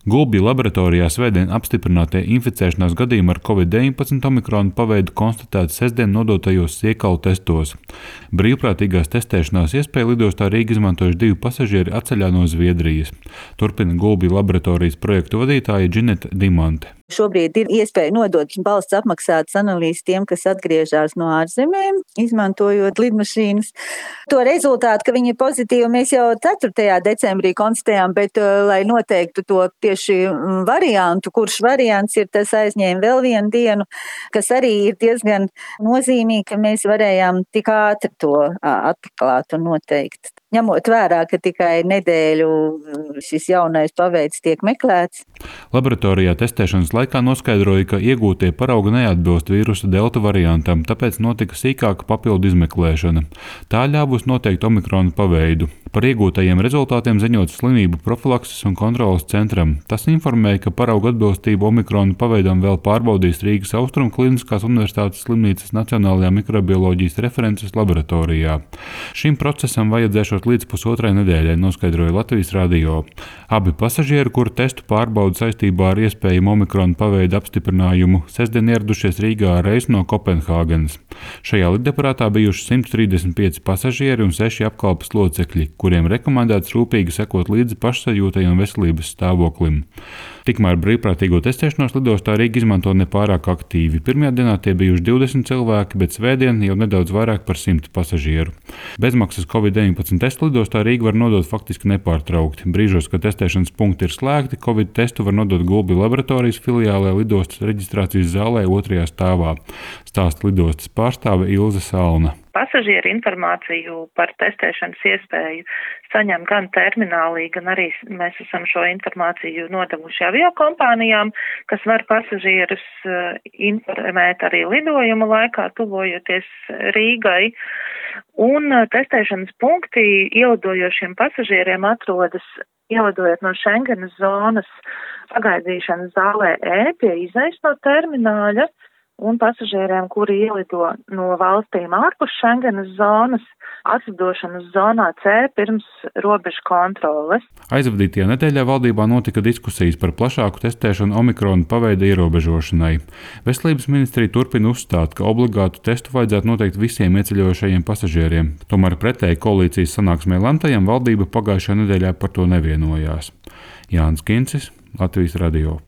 Gulbju laboratorijā svētdien apstiprinātie inficēšanās gadījumi ar Covid-19 omikrona paveidu konstatēti sestdien nodotajos Siekalu testos. Brīvprātīgās testēšanās iespēju lidostā Rīga izmantojuši 2 pasažieri atceļā no Zviedrijas. Turpina Gulbju laboratorijas projektu vadītāja Džineta Dimante. Šobrīd ir iespēja nodot valsts apmaksātas analīzes tiem, kas atgriežas no ārzemēm, izmantojot lidmašīnas. To rezultātu, ka viņi ir pozitīvi, mēs jau 4. decembrī konstatējām, bet, lai noteiktu to tieši variantu, kurš variants ir, tas aizņēma vēl vienu dienu, kas arī ir diezgan nozīmīgi, ka mēs varējām tik ātri to atklāt un noteikt. Ņemot vērā, ka tikai nedēļu šis jaunais paveids tiek meklēts. Laboratorijā testēšanas laikā noskaidroja, ka iegūtie paraugi neatbilst vīrusa delta variantam, tāpēc notika sīkāka papildu izmeklēšana. Tā ļāvus noteikt omikrona paveidu. Par iegūtajiem rezultātiem ziņots slimību profilakses un kontroles centram. Tas informēja, ka paraugu atbilstību omikrona paveidam vēl pārbaudīs Rīgas Austrumu Kliniskās Universitātes slimnīcas Nacionālajā mikrobioloģijas references laboratorijā. Šim procesam vajadzēšot līdz 1,5 nedēļai, noskaidroja Latvijas radio. Abi pasažieri, kuru testu pārbauda saistībā ar iespējamu omikrona paveidu apstiprinājumu, sestdien ieradušies Rīgā ar reisu no Kopenhāgenes. Šajā lidaparātā bijuši 135 pasažieri un 6 apkalpes locekļi, kuriem rekomendēts rūpīgi sekot līdzi pašsajūtai un veselības stāvoklim. Tikmēr brīvprātīgo testēšanos lidostā Rīga izmanto nepārāk aktīvi. Pirmajā dienā tie bijuši 20 cilvēki, bet svētdien jau nedaudz vairāk par 100 pasažieru. Bezmaksas Covid-19 testu lidostā Rīga var nodot faktiski nepārtraukti. Brīžos, kad testēšanas punkti ir slēgti, Covid testu var nodot Gulbju laboratorijas filiālē lidostas reģistrācijas zālē 2. stāvā. Stāsta lidostas pārstāve Ilze Salna. Pasažieru informāciju par testēšanas iespēju saņem gan terminālī, gan arī mēs esam šo informāciju nodevuši aviokompānijām, kas var pasažierus informēt arī lidojuma laikā, tuvojoties Rīgai. Un testēšanas punkti ielidojošiem pasažieriem atrodas ielidojot no Schengenas zonas pagaidīšanas zālē E pie izejas no termināļa. Un pasažieriem, kuri ielido no valstīm ārpus Schengenas zonas, atlidošanas zonā C pirms robežu kontroles. Aizvadītajā nedēļā valdībā notika diskusijas par plašāku testēšanu omikrona paveida ierobežošanai. Veselības ministrija turpina uzstāt, ka obligātu testu vajadzētu noteikt visiem ieceļojošajiem pasažieriem. Tomēr pretēji koalīcijas sanāksmē lemtajam valdība pagājušajā nedēļā par to nevienojās. Jānis Kincis, Latvijas radio.